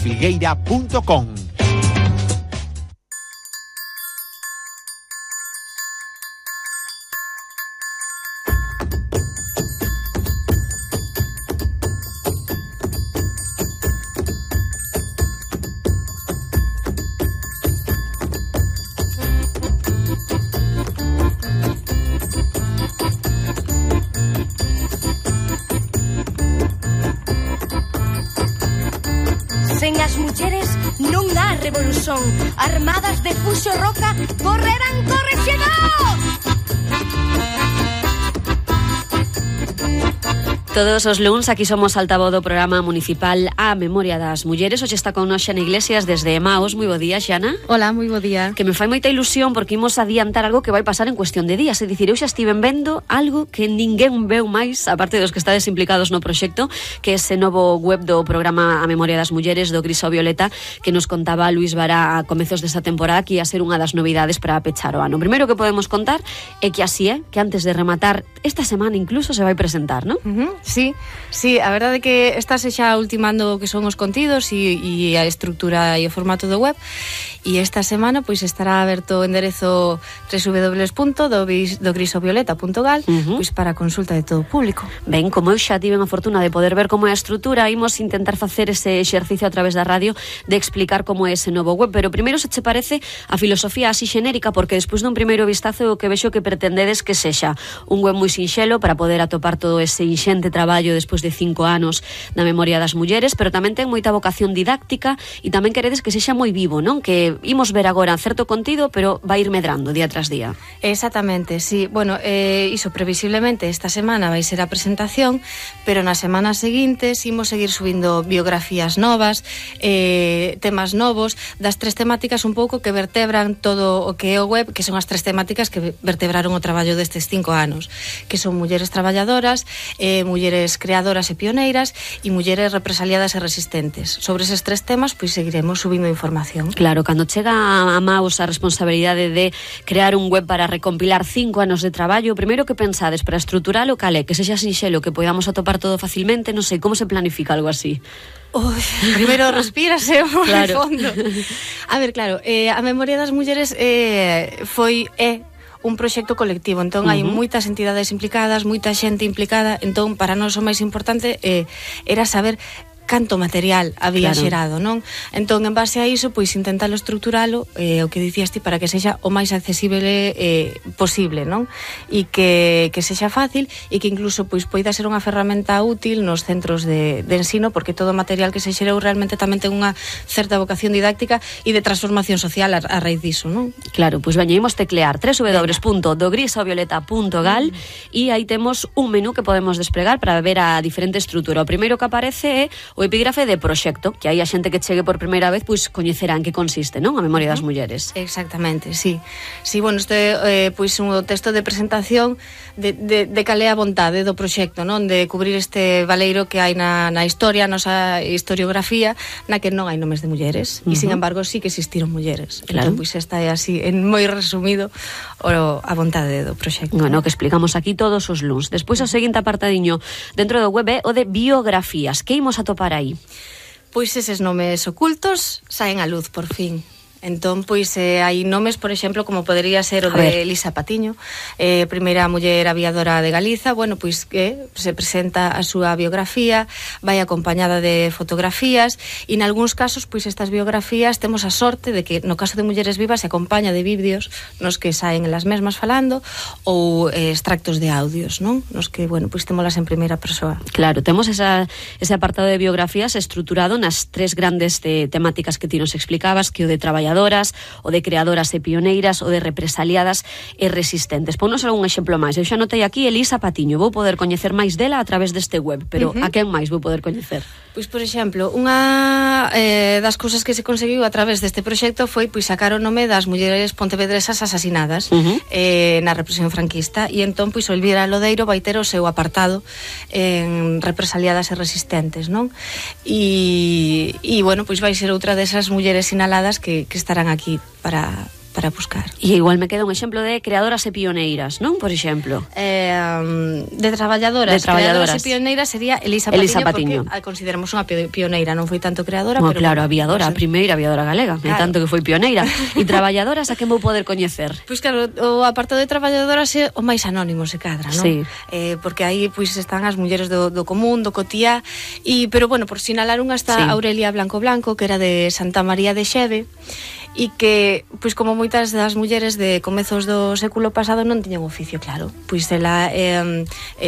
www.filgueira.com. Sen as mulleres non há revolución. Armadas de Fuxo Roca correrán correxedor. Todos os luns aquí somos altavoz do programa municipal A Memoria das Mulleres. Hoxe está con nós Xana Iglesias desde Emaos. Moi bo día, Xana. Hola, moi bo día. Que me fai moita ilusión porque imos adiantar algo que vai pasar en cuestión de días. É dicir, eu xa estiven vendo algo que ninguén veu máis, aparte dos que estades implicados no proxecto, que é ese novo web do programa A Memoria das Mulleres do Gris ao Violeta, que nos contaba Luis Vara a comezos desta temporada, que ia ser unha das novidades para pechar o ano. O primeiro que podemos contar é que así é, que antes de rematar esta semana incluso se vai presentar, non? Sí, a verdade é que estás xa ultimando o que son os contidos e a estrutura e o formato do web, e esta semana pois estará aberto o enderezo www.dogrisovioleta.gal pois para consulta de todo o público. Ben, como eu xa tiven a fortuna de poder ver como é a estrutura, imos intentar facer ese exercicio a través da radio de explicar como é ese novo web, pero primeiro, se che parece, a filosofía así xenérica, porque despois dun primeiro vistazo o que vexo que pretendedes que sexa un web moi sinxelo para poder atopar todo ese inxente traballo despois de 5 anos da Memoria das Mulleres, pero tamén ten moita vocación didáctica e tamén queredes que sexa moi vivo, non? Que imos ver agora certo contido, pero vai ir medrando día tras día. Exactamente, sí. Bueno, iso previsiblemente esta semana vai ser a presentación, pero nas semanas seguintes imos seguir subindo biografías novas, temas novos, das 3 temáticas un pouco que vertebran todo o que é o web, que son as 3 temáticas que vertebraron o traballo destes 5 anos, que son mulleres traballadoras, mulleres creadoras e pioneiras e mulleres represaliadas e resistentes. Sobre eses 3 temas, pois seguiremos subindo información. Claro, cando chega a Maus a responsabilidade de crear un web para recompilar 5 anos de traballo, o primeiro que pensades para estruturar o cal é, que sexa sinxelo, que podamos atopar todo facilmente, non sei, como se planifica algo así? Primeiro respírase por claro. fondo. A ver, claro, a Memoria das Mulleres foi un proxecto colectivo, entón hai moitas entidades implicadas, moita xente implicada, entón para nós o máis importante era saber canto material había xerado, non? Entón, en base a iso, pois intentalo estruturalo, o que dicías ti, para que sexa o máis accesible posible, non? E que sexa fácil e que incluso pois poida ser unha ferramenta útil nos centros de ensino, porque todo o material que se xerou realmente tamén ten unha certa vocación didáctica e de transformación social a raíz diso, non? Claro, pois veñemos teclear www.dogrisovioleta.gal e aí temos un menú que podemos desplegar para ver a diferente estrutura. O primeiro que aparece é o epígrafe de proxecto, que aí a xente que chegue por primeira vez pois coñecerá en que consiste, non? A Memoria das Mulleres. Exactamente, sí. Sí, bueno, este pois un texto de presentación de cal é a vontade do proxecto, non? De cubrir este valeiro que hai na historia, a nosa historiografía, na que non hai nomes de mulleres, e sin embargo sí que existiron mulleres. Claro. Entón, pois esta é así, en moi resumido, a vontade do proxecto. Bueno, que explicamos aquí todos os luns. Despois o seguinte apartadiño dentro do web é o de biografías. Que imos atopar aí? Pois eses nomes ocultos saen á luz por fin. Entón, pois, hai nomes, por exemplo, como podería ser o de Elisa Patiño, primeira muller aviadora de Galiza, bueno, pois que se presenta a súa biografía, vai acompañada de fotografías, e en algúns casos, pois, estas biografías temos a sorte de que, no caso de Mulleres Vivas, se acompaña de vídeos nos que saen elas mesmas falando, ou extractos de audios, non? Nos que, bueno, pois, temolas en primeira persoa. Claro, temos ese apartado de biografías estruturado nas 3 grandes temáticas que ti nos explicabas, que o de traballadoras, o de creadoras e pioneiras, o de represaliadas e resistentes. Ponnos algún exemplo máis. Eu xa notei aquí Elisa Patiño. Vou poder coñecer máis dela a través deste web, pero a quen máis vou poder coñecer? Pois, por exemplo, unha das cousas que se conseguiu a través deste proxecto foi pois sacar o nome das mulleres pontevedresas asasinadas na represión franquista, e entón pois Elvira Lodeiro vai ter o seu apartado en represaliadas e resistentes, non? E bueno, pois vai ser outra desas mulleres sinaladas que estarán aquí para buscar. E igual me queda un exemplo de creadoras e pioneiras, non? Por exemplo. De traballadoras. Creadoras e pioneiras sería Elisa Patiño, porque consideramos unha pioneira, non foi tanto creadora, pero claro, bueno, aviadora, a primeira aviadora galega, claro. Tanto que foi pioneira. E traballadoras a quen vou poder coñecer? Pois claro, o apartado de traballadoras é o máis anónimo, se cadra, non? Sí. Porque aí pois están as mulleres do común, do cotiá, pero bueno, por sinalar unha está Aurelia Blanco, que era de Santa María de Xeve, e que, pois como moitas das mulleres de comezos do século pasado non tiñan oficio, claro. Pois ela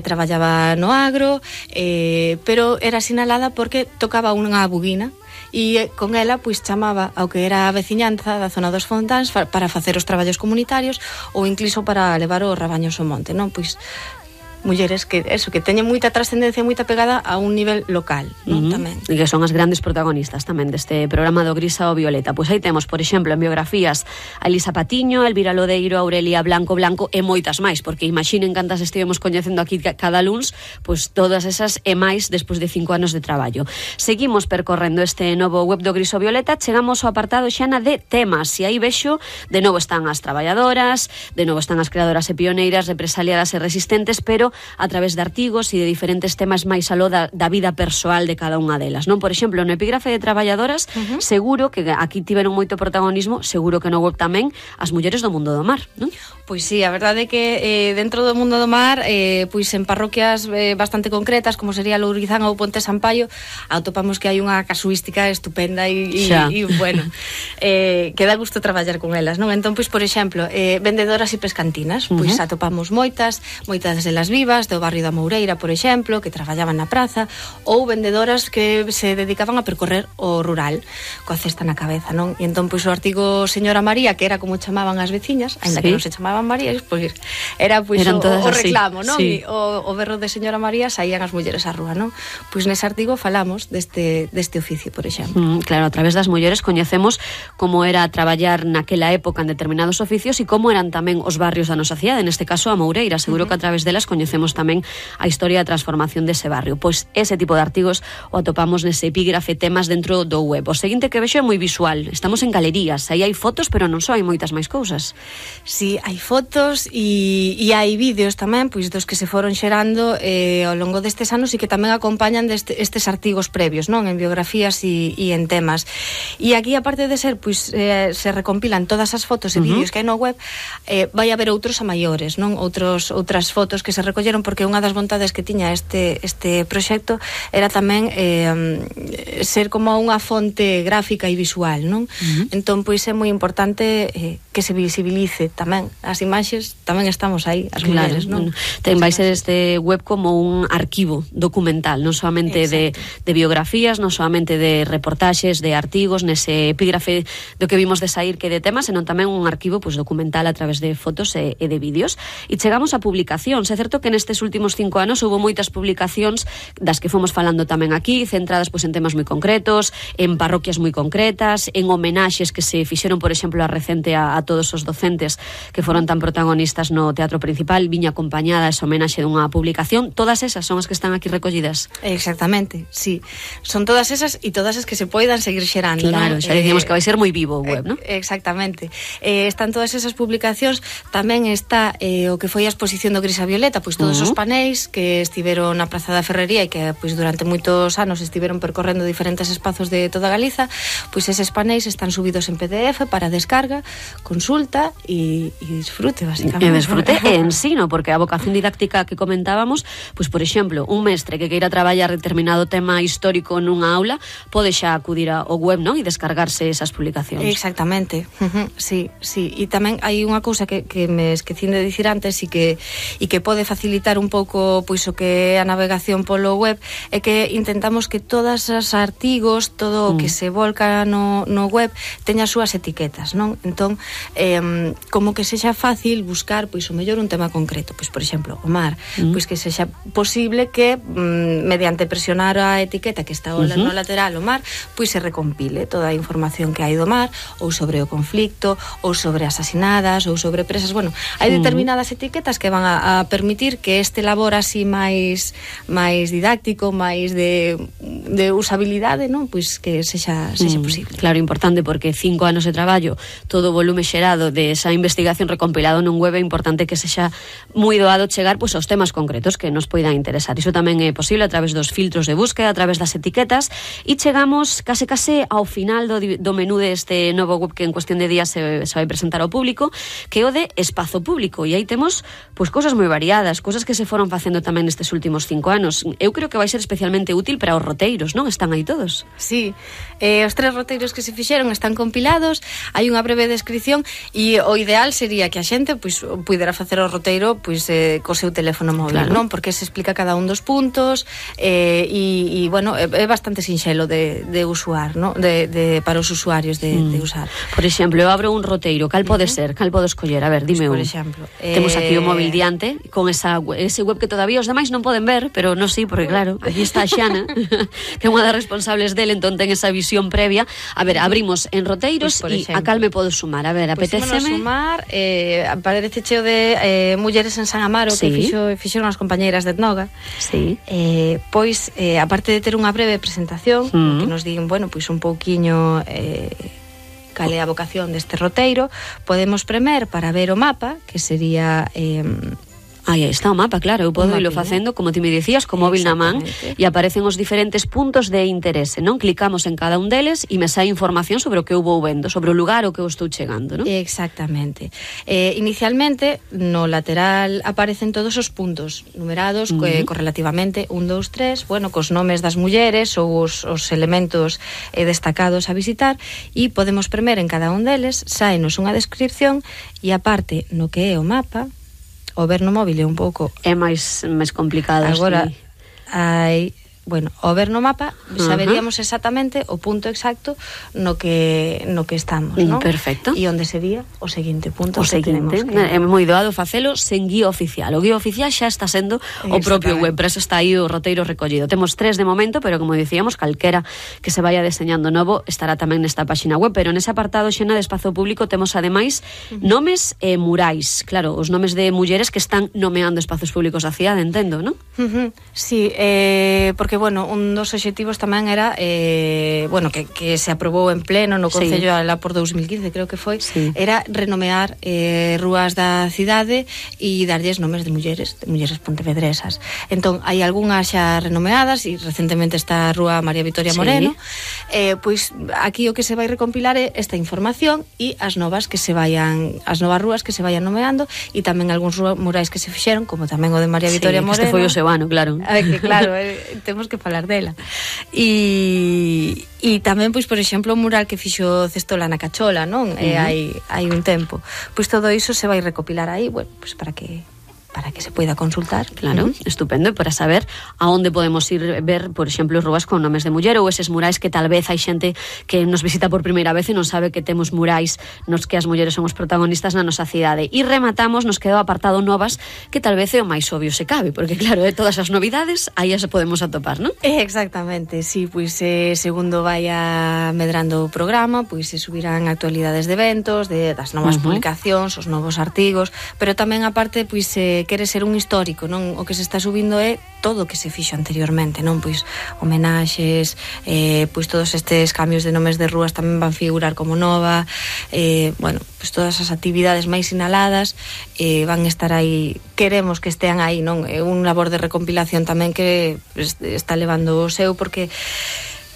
traballaba no agro, pero era sinalada porque tocaba unha buguina, e con ela pois chamaba ao que era a veciñanza da zona dos Fontáns para facer os traballos comunitarios ou incluso para levar os rabaños ao monte, non? Pois mulleres que teñen moita trascendencia, moita pegada a un nivel local, non? Tamén. E que son as grandes protagonistas tamén deste programa do Gris ao Violeta. Pois aí temos, por exemplo, en biografías a Elisa Patiño, Elvira Lodeiro, Aurelia Blanco e moitas máis, porque imaginen cantas estivemos coñecendo aquí cada luns, pois todas esas e máis despois de 5 anos de traballo. Seguimos percorrendo este novo web do Gris ao Violeta, chegamos ao apartado xana de temas, e aí vexo, de novo están as traballadoras, de novo están as creadoras e pioneiras, represaliadas e resistentes, pero a través de artigos e de diferentes temas máis aló da vida persoal de cada unha delas, non? Por exemplo, no epígrafe de traballadoras, seguro que aquí tiveron moito protagonismo, seguro que no web tamén, as mulleres do mundo do mar, non? Pois sí, a verdade é que dentro do mundo do mar, pois en parroquias bastante concretas, como sería Lourizán ou Ponte Sampaio, atopamos que hai unha casuística estupenda e bueno, que dá gusto traballar con elas, non? Entón, pois, por exemplo, vendedoras e pescantinas, pois atopamos moitas delas vivas, do barrio da Moureira, por exemplo, que traballaban na praza, ou vendedoras que se dedicaban a percorrer o rural, coa cesta na cabeza, non? E entón, pois, o artigo Señora María, que era como chamaban as veciñas, ainda que non se chamaban María, pois era pois o reclamo, non? Sí. E o berro de Señora María saían as mulleres á rúa, non? Pois nese artigo falamos deste oficio, por exemplo. Claro, a través das mulleres coñecemos como era traballar naquela época en determinados oficios e como eran tamén os barrios da nosa cidade, neste caso a Moureira. Seguro que a través delas coñecemos tamén a historia da transformación dese barrio. Pois ese tipo de artigos o atopamos nese epígrafe temas dentro do web. O seguinte que vexo é moi visual. Estamos en galerías, aí hai fotos, pero non só, hai moitas máis cousas. Sí, hai fotos e hai vídeos tamén, pois dos que se foron xerando ao longo destes anos e que tamén acompañan estes artigos previos, non? En biografías e en temas. E aquí, aparte de ser, pois se recompilan todas as fotos e vídeos que hai no web, vai haber outros a maiores, non? Outras fotos que se recolleron, porque unha das vontades que tiña este proxecto era tamén ser como unha fonte gráfica e visual, non? Entón, pois é moi importante que se visibilice tamén as imaxes, tamén estamos aí, as mulleres, non? Vai ser este web como un arquivo documental, non solamente de biografías, non solamente de reportaxes, de artigos, nese epígrafe do que vimos de sair que de temas, senón tamén un arquivo pois documental a través de fotos e de vídeos. E chegamos a publicacións. É certo que nestes últimos 5 anos houve moitas publicacións das que fomos falando tamén aquí, centradas pois en temas moi concretos, en parroquias moi concretas, en homenaxes que se fixeron, por exemplo, a recente a todos os docentes que foron tan protagonistas no Teatro Principal, viña acompañada esa homenaxe dunha publicación. Todas esas son as que están aquí recollidas. Exactamente, sí. Son todas esas e todas as que se poidan seguir xerando, claro, non? Xa dicimos que vai ser moi vivo o web, non? Exactamente. Están todas esas publicacións, tamén está o que foi a exposición do Gris a Violeta, pois todos os paneis que estiveron na Praza da Ferrería e que pois durante moitos anos estiveron percorrendo diferentes espazos de toda Galiza, pois eses paneis están subidos en PDF para descarga, consulta e disfrute, basicamente. E disfrute e ensino, porque a vocación didáctica que comentábamos, pois por exemplo, un mestre que queira traballar determinado tema histórico nunha aula, pode xa acudir ao web, non? E descargarse esas publicacións. Exactamente. Sí. E tamén hai unha cousa que me esquecín de dicir antes e que pode facilitar un pouco pois o que é a navegación polo web, é que intentamos que todos os artigos, todo o que se volca no web teña as súas etiquetas, non? Entón, como que sexa fácil buscar pois o mellor un tema concreto, pois por exemplo, o mar, pois que sexa posible que mediante presionar a etiqueta que está no lateral o mar, pois se recompile toda a información que hai do mar, ou sobre o conflicto, ou sobre asasinadas, ou sobre presas. Bueno, hai determinadas etiquetas que van a permitir permitir que este labor así máis didáctico, máis de usabilidade, non? Pois que sexa posible. Claro, importante, porque 5 anos de traballo, todo o volume xerado de esa investigación recompilado nun web, é importante que sexa moi doado chegar pois aos temas concretos que nos poidan interesar. Iso tamén é posible a través dos filtros de búsqueda, a través das etiquetas, e chegamos case ao final do menú deste novo web que en cuestión de días se vai presentar ao público, que é o de espazo público, e aí temos pois cousas moi variadas, cousas que se foron facendo tamén nestes últimos 5 anos. Eu creo que vai ser especialmente útil para os roteiros, non? Están aí todos. Sí, os 3 roteiros que se fixeron están compilados, hai unha breve descripción, e o ideal sería que a xente pois pudera facer o roteiro pois co seu teléfono móvil, claro, non? Porque se explica cada un dos puntos, e bueno, é bastante sinxelo de usar, non? Para os usuarios de usar. Por exemplo, eu abro un roteiro, cal pode ser? Cal podo escoller? A ver, dime por exemplo, temos aquí o móvil diante con ese web que todavía os demais non poden ver, pero non sí, porque claro, aquí está a Xana que é unha das responsables del, entón ten esa visión previa. A ver, abrimos en roteiros e a cal me podo sumar? A ver, apetéceme sumar, parece cheo de mulleres en San Amaro, sí, que fixeron as compañeiras de Etnoga. Sí. Pois, aparte de ter unha breve presentación, que nos digan, bueno, pois un pouquiño cal é a vocación deste roteiro, podemos premer para ver o mapa, que sería aí está o mapa, claro, eu podo irlo facendo, como ti me dicías, co móvil na man, e aparecen os diferentes puntos de interese, non? Clicamos en cada un deles e me sai información sobre o que eu vou vendo, sobre o lugar ao que eu estou chegando, non? Exactamente. Inicialmente, no lateral aparecen todos os puntos numerados correlativamente, 1, 2, 3, bueno, cos nomes das mulleres ou os elementos destacados a visitar, e podemos premer en cada un deles, saenos unha descripción, e aparte, no que é o mapa, o ver no móvil é un pouco é máis complicado. Agora hai, bueno, o ver no mapa saberíamos exactamente o punto exacto no que estamos, non? Perfecto. E onde sería o seguinte punto. O seguinte, é moi doado facelo sen guía oficial. O guía oficial xa está sendo o propio web, pero eso está aí o roteiro recollido. Temos 3 de momento, pero como dicíamos, calquera que se vaya deseñando novo estará tamén nesta páxina web, pero nese apartado Xena de espazo público temos ademais nomes e murais. Claro, os nomes de mulleres que están nomeando espazos públicos da cidade, entendo, non? Sí, porque bueno, un dos obxectivos tamén era bueno, que se aprobou en pleno no Concello alá por 2015, creo que foi, era renomear rúas da cidade e darlles nomes de mulleres pontevedresas. Entón, hai algunhas xa renomeadas e recentemente está a Rúa María Victoria Moreno. Pois aquí o que se vai recompilar é esta información e as novas rúas que se vayan nomeando, e tamén algúns murais que se fixeron, como tamén o de María Victoria Moreno. Este foi o seu ano, claro. Claro, temos que falar dela. E tamén, pois, por exemplo, o mural que fixo Cestola na Cachola, non? Hai un tempo. Pois todo iso se vai recopilar aí, bueno, pois para que se poida consultar. Claro, estupendo, e para saber a onde podemos ir ver, por exemplo, rúas con nomes de muller, ou eses murais que tal vez hai xente que nos visita por primeira vez e non sabe que temos murais nos que as mulleres son os protagonistas na nosa cidade. E rematamos, nos quedou apartado novas, que tal vez é o máis obvio se cabe, porque claro, todas as novidades aí as podemos atopar, non? Exactamente, sí, pois segundo vai medrando o programa, pois se subirán actualidades de eventos, das novas publicacións, os novos artigos, pero tamén aparte, pois quere ser un histórico, non? O que se está subindo é todo o que se fixo anteriormente, non? Pois homenaxes, pois todos estes cambios de nomes de rúas tamén van figurar como nova, bueno, pois todas as actividades máis sinaladas van estar aí, queremos que estean aí, non? É un labor de recompilación tamén que está levando o seu, porque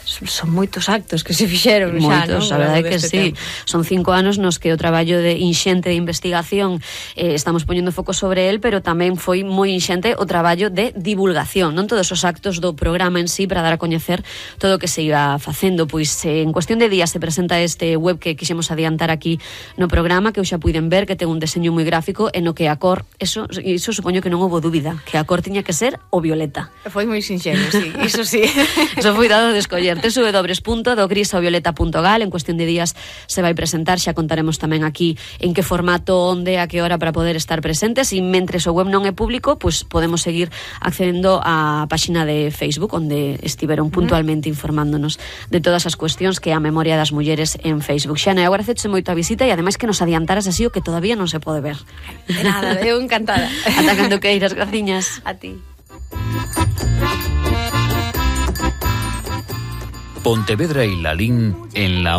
son moitos actos que se fixeron xa, non? Moitos, a verdade que sí. Son 5 anos nos que o traballo de inxente de investigación estamos poñendo foco sobre el, pero tamén foi moi inxente o traballo de divulgación, non? Todos os actos do programa en sí para dar a coñecer todo o que se iba facendo. Pois en cuestión de días se presenta este web que quixemos adiantar aquí no programa, que eu xa puiden ver, que ten un deseño moi gráfico e no que a cor, eso supoño que non houbo dúbida, que a cor tiña que ser o violeta. Foi moi sinxelo, sí, iso sí. Eso foi dado de escoller. www.dogrisaovioleta.gal. En cuestión de días se vai presentar, xa contaremos tamén aquí en que formato, onde, a que hora para poder estar presentes, e mentres o web non é público, pues podemos seguir accedendo á páxina de Facebook, onde estiveron puntualmente informándonos de todas as cuestións que é a memoria das mulleres en Facebook. Xana, eu agradeche moito a visita e ademais que nos adiantaras así o que todavía non se pode ver. De nada, eu encantada. Ata cando queiras, graciñas. A ti. Pontevedra y Lalín en la